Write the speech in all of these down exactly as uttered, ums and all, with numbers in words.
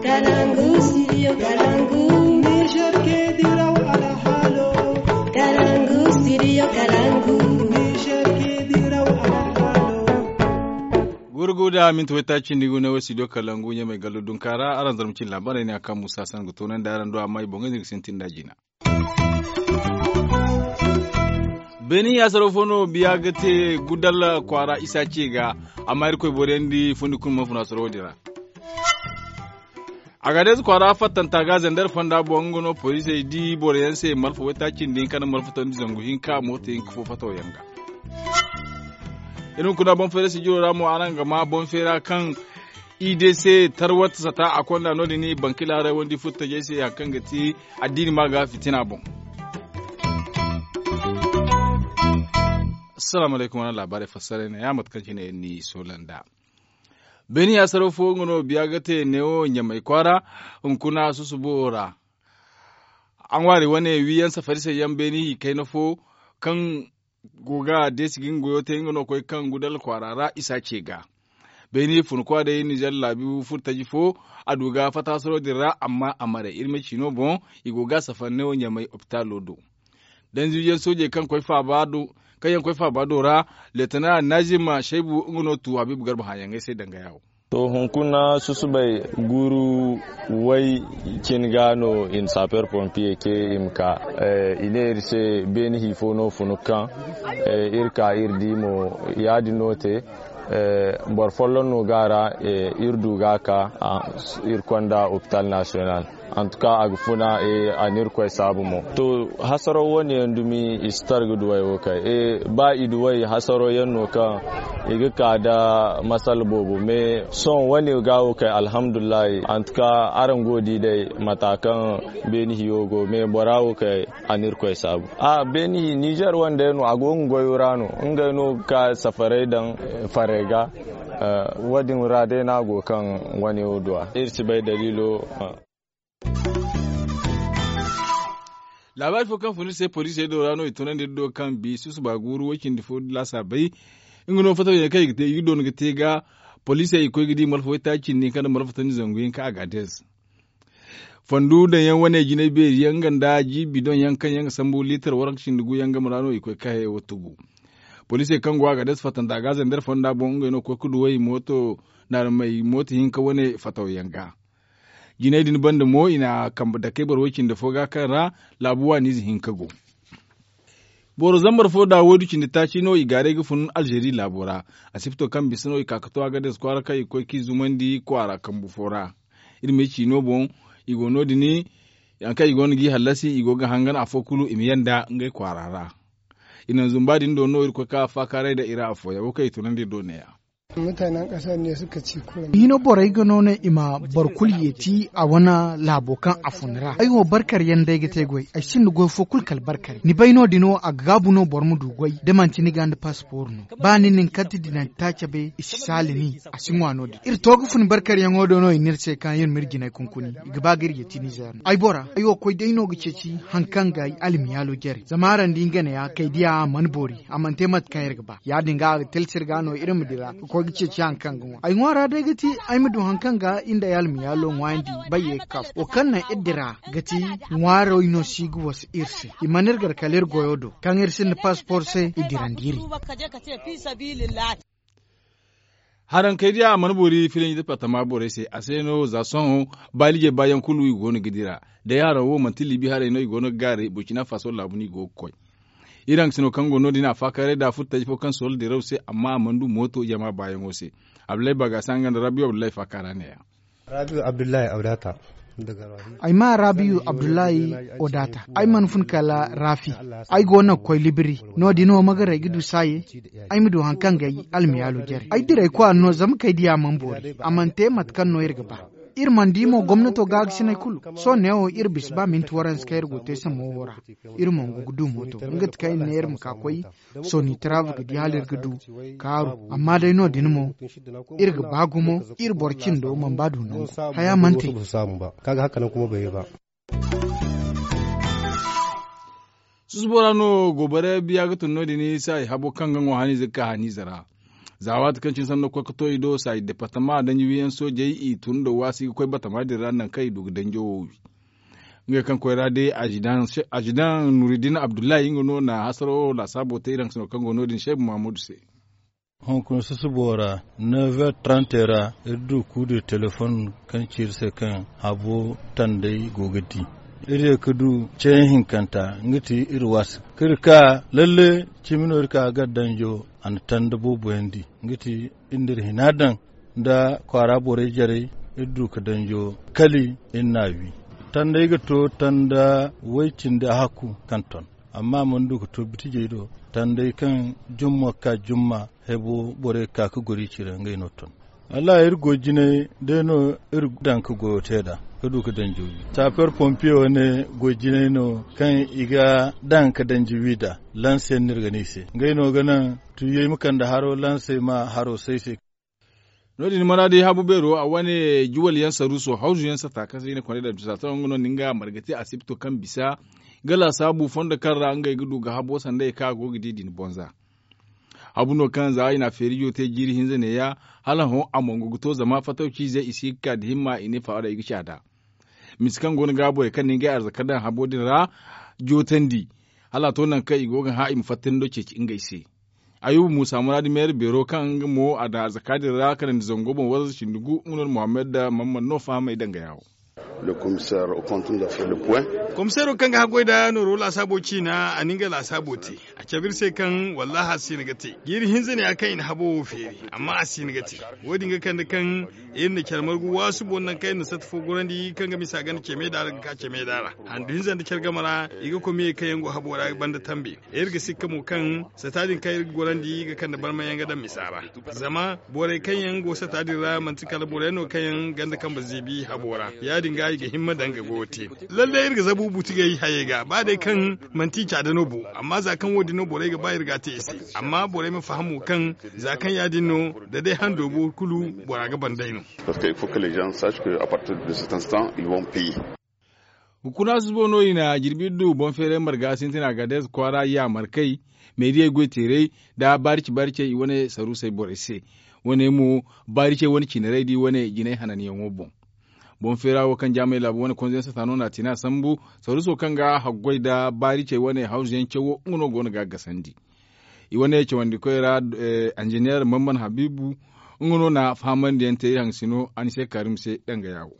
Kalangu, studio Kalangu. Niger ke diraw alhalo. Kalangu, studio Kalangu. Niger ke diraw alhalo. Gurgu da minti waytaaci ni gune wo studio Kalangu ɲamay gallo dunka ra araŋ zarma cin laabaarey ne a kaŋ musa san ga toonandi araŋ do amma i boŋey din ga sintin da jina. Beeni yaasaro fo no biya ga te gudal kwaara isa ce ga. Amma irkoy boriyandi fundi kulu mana funa soro wo-din ra. Agadeez kwaara fattanta ga zandar fonda boŋ nga no poliisey di boro yaŋ se malfa waytaaci nda hinka nda malfa tondi zangu hinka mooto hinka fo fataw yaŋ ga. Iri hunkuna boŋ feera sijiro ra mo araŋ ga ma boŋ feera kaŋ i de se tarwat sata a konda no- din bankila haray wandi furtajey se hari kaŋ ga ti addiini ma ga fitina boŋ. Assalamu alaykum wane laabaarey fassarey ne ya mate kaŋ cine iri n'i soola nd'a. Beeni yaasaro fo nga no biya ga te neewo ɲamay kwaara hunkuna susubo ra. A ŋwaari wane wiiyaŋ safari se yaŋ beeni hi kayna fo kaŋ go ga deesi ga nga goyo te nga no koy kaŋ gudal kwaara ra isa ce ga. Beeni fun kwa day nizer laabi furtaji fo a du ga fataasaro din ra amma a maray iri ma ci no boŋ i go ga safari neewo ɲamay opitaalo do. Danziiyaŋ soojey kaŋ yaŋ koy faaba do ra leetana naazim saybu nga no tu habiibu garba hãayaŋey se danga yaawo. To hunkuna susubay guuru way cin ga no i na saper pompiye ce i ma ka. I ne iri se beeni hi fo no funu kaŋ iri ka iri di mo ya- din no te. Boro folloŋ no ga a ra iri du ga a ka iri konda opital nasiyonal. Antuka a ga funa a na irkoy saabu mo to. Hasaro wane yaŋ dumi i si tar ga duway wo kay. Ba i duway hasaro yaŋ no kaŋ i ga ka nda masala boobo me sohõ wane ga wo kay alhamdulillahi. Antuka araŋ go ga di day mata kaŋ beeni hiyo go me bora wo kay a na irkoy saabu. A beeni hi nizer wane day no a go ga goyo ra no ngey no ga ka safaray daŋ faray ga. Wo- din ra day no a go kaŋ wane wo duwa iri si bay daliilo. Laabaari fo kaŋ fun iri se poliisey do ra no i tunandi iri do kaŋ bi susuba guuru way cindi fo laasaabey. Nga no fataw yaŋ kaŋ i ga te i ga doona ga te ga poliisey i koy ga di malfa waytaaci cindi hinka nda malfa tandi zangu hinka agadeez. Fondu daŋ yaŋ wane jinay beeri yaŋ nga nda ji bidoŋ yaŋ kaŋ yaŋ ga sambu liitar waranka cindi gu yaŋ game ra no i koy ga ka hayey wo tugu. Poliisey kaŋ go agadeez fattanta ga zandar fonda boŋ ngey no ga koy ga duway mooto naarmey mooto hinka wane fataw yaŋ ga. Jinay din banda mo i na kambe dakey boro way cindi fo ga kaŋ ra laabu waaniize hinka go. Boro zambar fo da waydu cindi taaci no i gaaray ga fun alzeeri laabo ra. Asipto kaŋ bisa no i ka ga to agadeez kwaara kaŋ i ga koy ga i zumandi kwaara kambu fo ra. Iri ma ay ci no boŋ i go no- din. Hari kaŋ i go no g'i hallasi i go ga hangan afo kulu i ma yanda ngey kwaara ra. I naŋ zumba din do no iri koy ga ka faakaaray nda i ra afooyaŋ wo kaŋ i tunandi iri do ne- ya. Hino borey ga no ne i ma boro kulu yeeti a wane laabo kaŋ a fun ra ay wo barkar yaŋ day ga te goy ay sinda goy fo kulu kala barkar ni bay no- din wo a ga gaabu no boro ma du goy da manti ni ga nda paspor no. Ba ni na ni karti dinanta cabe i si saali ni a si ŋwa no- din iri to ga fun barkaryaŋo do no i ne iri se kaŋ iri ma iri jinay kunkuni i ga ba ga iri yeeti nizer no ay bora ay wo koy day no ga ceeci hari kaŋ ga ay almiyaalo jare zama araŋ di nga ne ya kay diya a mana boori a mana te mate kaŋ iri ga ba ya- din ga a ga talsi iri ga no iri ma dira ga koy ga ceeci hari kaŋ ga ŋwa ay ŋwaara day ga ti ay ma du hari kaŋ ga iri nda ay almiyaalo ŋwaayandi bayye ga ka wo kaŋ naŋ iri dira ga ti ŋwaarey no si ga wasa iri se i mana iri gar kala iri goyo do kaŋ iri sinda paspor se i dirandi iri. Harankey diya a mana boori filanji departama borey se a se no za sohõ baaliijey baayaŋ kulu i go no ga dira day haraŋ wo manti liibi haray no i go no ga gaaray burcina faso laabu no i go ga koy. Iri haŋ ga sino kaŋ go no- din a faakaaray da furtaji fo kaŋ soola diraw se amma a mana du mooto jama baayaŋo se. Abdullahi bagasa nga nda rabiyo abdullahi faakaara ne- ya. Ay ma rabiyu abdullahi odata ay mana fun kala rafi. Ay go no ga koy libiri no- din wo ma garay ga du saaye. Ay ma du hari kaŋ ga ay almiyaalo jare ay diray kwaara no zama kay diya mana boori a mana te mate kaŋ no iri ga ba. Iri mana di mo gomnato gaagasiney kulu sohõ neewo iri bisa ba minti waranse kaŋ iri go te samo wo ra. Iri mo ga du mooto nga ti kaŋ iri ne iri ma ka koy sooni taraaba ga di hala iri ga du kaaru amma day no- din mo iri ga ba gumo iri boro cindo mana ba du nangu haya mana te. Susubo ra no goobare biya ga tun no- din isa i habo kaŋ ga ŋwa haniize ga ka haniize ra. Za waati kaŋ cine sanno koy ga to i do saaji departama danji wiyaŋ soojey i tun nda waasi ga koy batama din ra nangu kaŋ i du ga danjo wo wi. Ngey kaŋ koy ra day azidaŋ nuridin abdullahi nga no na hasaro laasaabo te iri haŋ sino kaŋ go no- din seebu mahamudu se. Hunkuna susubo ra, never trante ra iri du kuude telefoŋ kaŋ ci iri se kaŋ habo tanday go ga di. Iri ye ga du ceeyaŋ hinkanta nga ti iri waasa kaŋ iri ka lalle cimi no iri ka gar danjo a na tanda booboyaŋ di nga ti iri na iri hina daŋ nda kwaara borey jarey. Iri du ga danjo kali iri n'a wi tandey ga to tanda way cindi a hakku kaŋ ton. Amma a mana du ga to bitijey do tandey kaŋ jumma ga ka jumma hebo borey ga ka ga goro i cire ngey no ton. Wallahi iri goy jinay day no iri daŋ ga goyo te nd'a ga du ga danji wi. Saaper pompiye wane goy jinay no kaŋ i ga daŋ ga danji wi nd'a. Lanse yaŋ no iri ga ne i se ngey no ga naŋ tuuyey ma kande haro lanse ma haro say se. No- din maraadi habu beero a wane juwal yaŋ saruuso hawzu yaŋ sata kaŋ se i ne kondey da bisa taraŋ nga no ni nga marga te asibto kaŋ bisa ga laasaabu fondo kaŋ ra ngey ga du ga habo sanda ye kaŋ a go ga di din bonza. Habu no kaŋ za i na a feeri jo te jiiri hinza neeya hala hõ a mongo ga to zama fatawciizey i si ga ka da himma i ne faawada i ga caada. Misa kaŋ go no ga borey kaŋ na ngey arzaka daŋ habo din ra jootandi hala a to nangu kaŋ i go ga hã i ma fattandi do ceeci ngey se. Ayuba muusa muraadi meera beero kaŋ nga mo a daŋ arzaka din ra kanandi zango boŋ warza cindi gu nga no na muhammad da mamman no fahamey danga yaawo. Komiseero kaŋ ga haggoy nda nooro laasaabo ciina a na nga laasaabo te. A cabe iri se kaŋ wallaahi a si hin ga te jiiri hinza ne ya kaŋ i na habo wo feeri. Amma a si hin ga te wo- din ga kande kaŋ iri na care margu waasu boŋ nangu kaŋ iri na satta fo gorandi kaŋ ga misa ganda ceme daara ga ka ceme daara handu hinza nda care game ra. I ga komiyey kaŋ yaŋ go habo ra banda tambe iri ga sikka mo kaŋ sata din kaŋ iri ga gorandi ga kande barmayaŋ ga daŋ misa ra. Zama borey kaŋ yaŋ go sata din ra manti kala boroyaŋ no kaŋ yaŋ ganda kambe zeebi habo ra ya- din ga i ga himma daŋ ga goyo te. Lalle iri ga zabu butigey hayey ga ba day kaŋ manti i caada no bo. Amma za kaŋ wo- din no borey ga ba iri ga a te i se. Amma borey ma faham mo kaŋ za kaŋ ya- din no da day hando bo kulu bora ga ban day no. Hunkuna susubo no i na jirbi du boŋ feeray marga sintina gadeez kwaara yaamarkey meeriyey goyteerey nda baarice baaricey i wane saruusey borey se. Wane mo baaricey wane ciinaray da i wane jinay hananyaŋo boŋ. Boŋ feera wo kaŋ jaamay laabu wane konzo yaŋ sata no na a tine a sambu saruuso kaŋ ga haggoy nda baaricey wane hawzu yaŋ cawo nga no go no ga a gasandi. I wane cawandikoy ra injiniyeer mamman habiibu nga no na fahamandi yaŋ te iri haŋ sino anise kaarim se danga yaawo.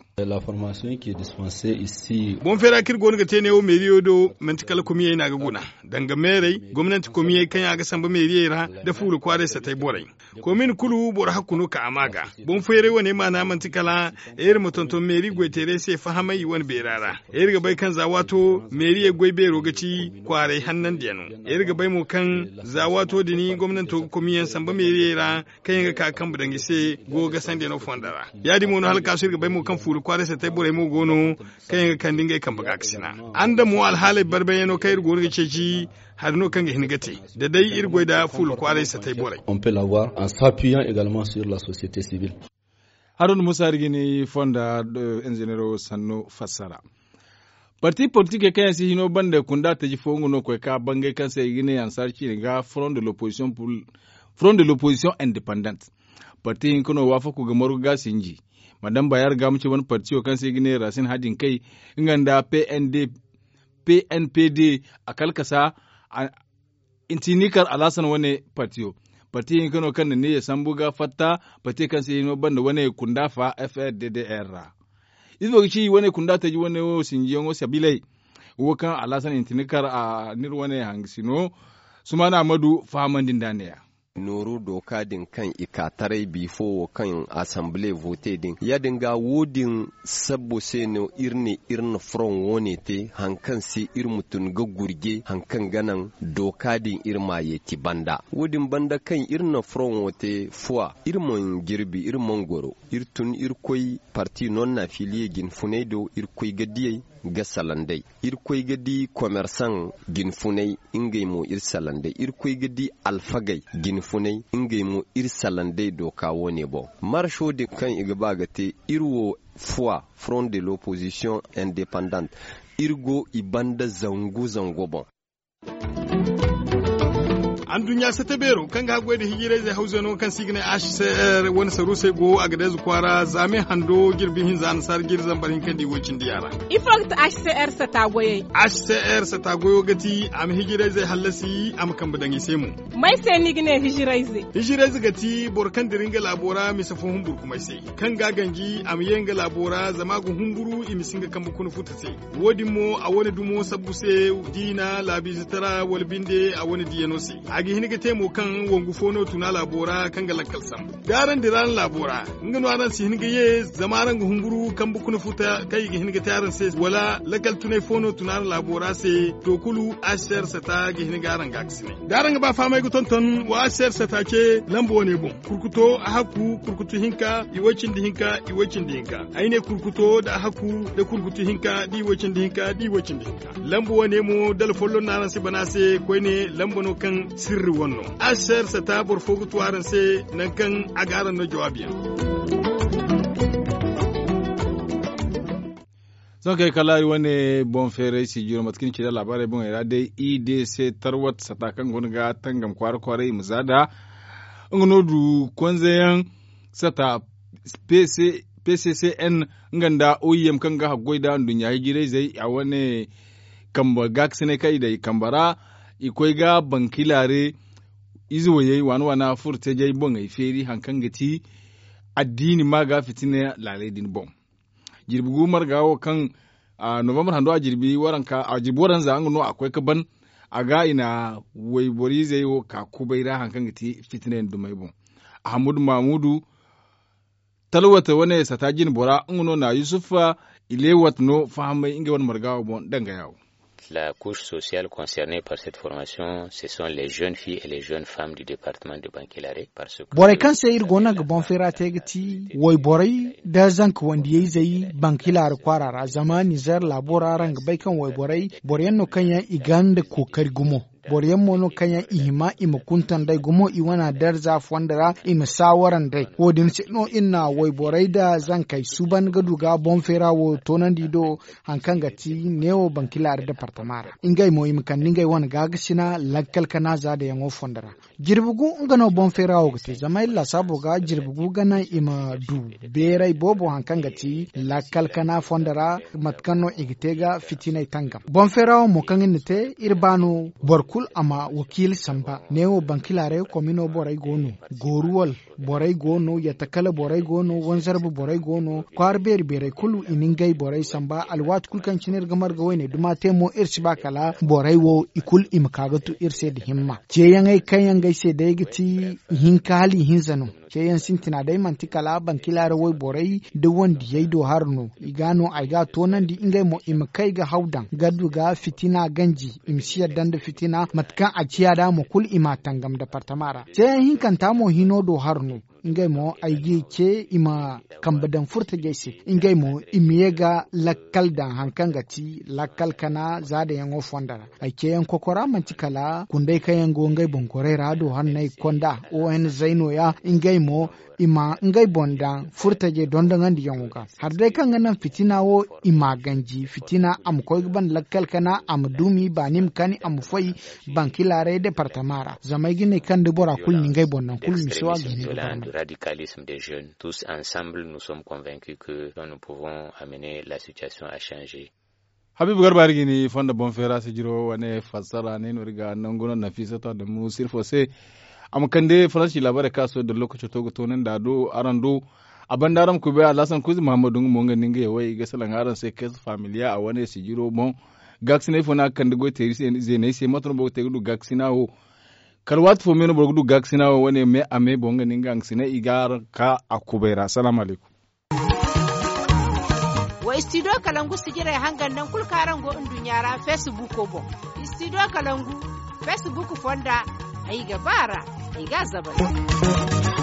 Boŋ feera kaŋ iri go no ga te neewo meeriyo do manti kala komiyey no a ga guna danga meerey gomnanti komiyey kaŋ yaŋ a ga samba meeriyey ra nda fuula kwaaray satay borey. Komin kulu boro hakku no ka a ma ga. Boŋ feeray wane maana manti kala iri ma tonton meeri goyteerey se fahamay i wane beera ra. Iri ga bay kaŋ za waato meeriyey goy beero ga ci kwaaray hannandiyaŋo. Iri ga bay mo kaŋ za waato din gomnanto ga komiyaŋ samba meeriyey ra kaŋ yaŋ ga ka ga kambe daŋ i se go ga sandiyaŋo fonda ra. Ya- din mo no hala kaasu iri ga bay mo kaŋ fuula kwaaray satay borey mo go no kaŋ yaŋ ga kande ngey kambe ga ga sina. Araŋ da mo alhaaley barbayyaŋo kaŋ iri go no ga ceeci hari no kaŋ ga hin ga te da day iri goy nda fuula kwaaray satay borey. On peut l'avoir en s'appuyant également sur la société civile. Haruna musa iri ga ni fonda injinero sannu fassara. Parti politikey kaŋ yaŋ si hino banda kunda taji fo nga no koy ka bangay kaŋ se i ga ne ansaari ciine ga front de l'opposition indépendante. Parti hinka no waafaku ga margu ga sinji madame bayar ga ma ci wane partiyo kaŋ se i ga ne rasin hadin kay nga nda pnd pnpd a kalkasa. Intinikar alhasan wane partiyo parti hinka no kaŋ na ne ya sambu ga fatta parti kaŋ se hino banda wane kunda fa frddr ra. Ifo ga ci wane kunda taji wane wo sinjiyaŋo sabiley wo kaŋ alhasan intinikar a n'iri wane hangasino sumaana amadu fahamandi nda neeya. Nooru dooka din kaŋ i ka taray bifo wo kaŋ asamble vote din ya- din ga wo- din sabbo se no iri ne iri na foroŋ wo- ne te hari kaŋ se iri ma tun ga gurje hari kaŋ ga naŋ dooka din iri ma yeeti banda. Wo- din banda kaŋ iri na foroŋ wo te fuwa iri mana jirbi iri mana goro iri tun iri koy parti non na filiye jinfunay do iri koy ga diyey ga salaŋ day. Iri koy ga di komersaŋ jinfunay ngey mo iri salaŋ day iri koy ga di alfagey jinfunay ngey mo iri salaŋ day dooka wo- ne boŋ. Marso din kaŋ i ga ba ga te iri wo fuwa front de l'opposition indépendante iri go i banda zangu zangu boŋ. Anduɲɲa sata beero kaŋ ga haggoy nda hijirayzey hawzey no kaŋ se i ga ne h c r wane saruusey go a ga deeza kwaara zaame hando jirbi hinza nasaara jiri zambar hinka nda i woy cindi yaŋ ra. Ifo ga ti h c r sata goyey? H c r sata goyo ga ti a ma hijirayzey hallasi a ma kambe daŋ i se mo. May se no i ga ne hijirayze? Hijirayze ga ti boro kaŋ dira nga laabo ra mise fo humburkumay se, kaŋ ga a ganji a ma ye nga laabo ra zama a ga humburu i ma si nga kambe kuna futa se. Wo- din mo a wane dumo sabbu se, diina laabiize tara wala binde a wane diyano se. A ga hin ga te mo kaŋ wangu fo no tun a laabo ra kaŋ ga lakkal sambu da araŋ dira araŋ laabo ra, nga no araŋ si hin ga ye zama araŋ ga humburu kambe kuna futa kaŋ i ga hin ga te araŋ se wala lakkal tunay fo no tun araŋ laabo ra se. To kulu, h c r sata ga hin ga araŋ gaakasinay da araŋ ga ba fahamay ga tonton wa h c r sata ce lamba wane boŋ. Kurkuto a hakku kurkutu hinka i way cindi hinka i way cindi hinka. Ay ne kurkuto nda a hakku nda kurkutu hinka da i way cindi hinka da i way cindi hinka. Lamba wane mo dala folloŋ no araŋ si bana se koyne lamba no kaŋ sirri wane no. H c r sata boro fo ga tu araŋ se nangu kaŋ a ga araŋ no jawaabi yaŋ. Sohõ kay kala iri wane boŋ feeray sijiro mate kaŋ ni ci nda laabaarey boŋey ra day i d c tarwat sata kaŋ go no ga tangam kwaara kwaaray i ma za nd'a. Nga no du konzeyaŋ sata p c c n nga nda o i m kaŋ ga haggoy nda nduɲɲa hijirayzey a wane kambe gaakasinay kaŋ i daŋ i kambe ra. I koy ga bankilaare ize wayey waana waana furo teejay boŋey feeri hari kaŋ ga ti addiini ma ga fitina laaley din boŋ. Jirbi gu marga wo kaŋ novembre hando a jirbi waranka a jirbi waranza nga no a koy ga ban a ga i na wayboro izey wo ka kubay ra hari kaŋ ga ti fitinay nda dumey boŋ. Ahamudu mamudu talwata wane sata jine bora nga no na yusufa ilewat no fahamay ngey wane marga wo boŋ danga yawo. La couche sociale concernée par cette formation ce sont les jeunes filles et les jeunes femmes du département de bankilare. Borey kaŋ se iri go no ga boŋ feera te ga ti wayborey nda zanka wandiyayzey bankilaari kwaara ra zama nizer laabo ra araŋ ga bay kaŋ wayborey boro yaŋ no kaŋ yaŋ i gonda kookari gumo. Boro yaŋ mo no kaŋ yaŋ i hima i ma kuntan day gumo i wana darza fondo ra i ma saawara nd'ey. Wo- din se no iri na wayborey nda zankey suuban ga du ga boŋ feera wo toonandi do hari kaŋ ga ti neewo bankilaari departama ra ngey mo i ma kande ngey wane gaagasina lakkal kana zaadayaŋo fondo ra. Jirbi gu nga no boŋ feera wo ga te zama iri laasaabo ga jirbi gu ga naŋ i ma du beeray boobo hari kaŋ ga ti lakkal kana fondo ra mate kaŋ no i ga te ga fitinay tangam boŋ feera wo mo kaŋ iri na te iri ba no boro kulu a ma wakiila samba neewo bankilaaray komino borey go no. Gooruwal borey go no yatta kala borey go no wanzarba borey go no kwaara beeri beerey kulu i na ngey borey samba alwaati kulu kaŋ cine iri ga marga wayne duma te mo iri si ba kala borey wo i kulu i ma ka ga tu iri se nda himma. Ceeyaŋey kaŋ yaŋ ga ay se day ga ti ihinka hala ihinza no. Ceeyaŋ sintina day manti kala bankila ra wayborey nda wandiyey do hari no i ga no ay ga a toonandi ngey mo i ma kay ga haw daŋ ga du ga fitina ganji i ma si yadda nda fitina mate kaŋ a ciya da mo kulu i m'a tangam departama ra. Ceeyaŋ hinkanta mo hino do hari no ngey mo ay g'i ce i ma kambe daŋ furtajey se ngey mo i ma ye ga lakkal daŋ hari kaŋ ga ti lakkal kana zaadayaŋo fondo ra. Ay ceeyaŋ kokora manti kala kunday kaŋ yaŋ go ngey boŋ gorey ra do hanney konda o n zay nooya ngey mo i ma ngey boŋ daŋ furtajey dondoŋandiyaŋo ga. Hari day kaŋ ga naŋ fitina wo i m'a ganji fitina a ma koy ga ban lakkal kana a ma dumi baani ma kani a ma foy bankilaaray departama ra zama ay ga ne kaŋ da bora kulu na ngey boŋ naŋ kulu misi wo a ga hin ga barmay. Radicalisme des jeunes tous ensemble nous sommes convaincus que nous pouvons amener la situation à changer. Habiibu garba iri ga ni fondo boŋ feera sijiro wane fassara ne no iri ga nangu no nafisatu adamu sirfo se. A ma kande faransi laabaarey kaŋ a sohõ da lookaco to ga toonandi a do araŋ do. A banda araŋ ma koy bay alhasan kuuzi muhammadu nga mo nga ninga yawey i ga salaŋ araŋ se kees familiya a wane sijiro boŋ. Gaakasinay fo no a ga kande goy teeri zeeney se mate no boro ga te ga du gaakasina wo? Kala waati fo me no boro ga du gaakasina wo wane me a me boŋ nga ninga nga sina i ga araŋ ka a kubay ra salaamu alaykum. Wa istidiyo kalangu sijirey hangan naŋ kulu kaŋ araŋ go nduɲɲa ra feesibuuko boŋ. Istidiyo kalangu feesibuuko fonda ay ga ba a ra ay ga a zabay.